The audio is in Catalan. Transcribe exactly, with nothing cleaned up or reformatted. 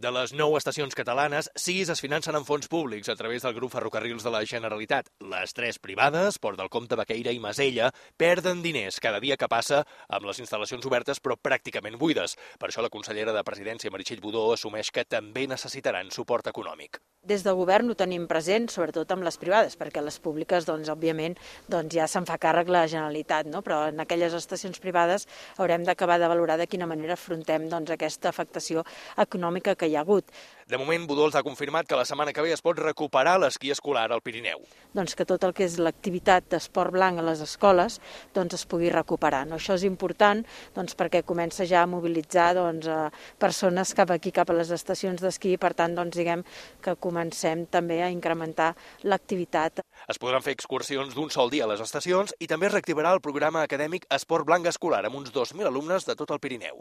De les nou estacions catalanes, sis es financen amb fons públics a través del grup Ferrocarrils de la Generalitat. Les tres privades, Port del Comte, Baqueira i Masella, perden diners cada dia que passa amb les instal·lacions obertes però pràcticament buides. Per això la consellera de Presidència, Meritxell Budó, assumeix que també necessitaran suport econòmic. Des del govern ho tenim present, sobretot amb les privades, perquè les públiques, doncs, òbviament, doncs, ja se'n fa càrrec la Generalitat, no? Però en aquelles estacions privades haurem d'acabar de valorar de quina manera afrontem doncs, aquesta afectació econòmica que hi ha hagut. De moment, Budó els ha confirmat que la setmana que ve es pot recuperar l'esquí escolar al Pirineu. Doncs que tot el que és l'activitat d'esport blanc a les escoles doncs, es pugui recuperar. No? Això és important doncs, perquè comença ja a mobilitzar doncs, a persones cap aquí, cap a les estacions d'esquí, per tant, doncs, diguem que comencem també a incrementar l'activitat. Es podran fer excursions d'un sol dia a les estacions i també es reactivarà el programa acadèmic Esport Blanc Escolar amb uns dos mil alumnes de tot el Pirineu.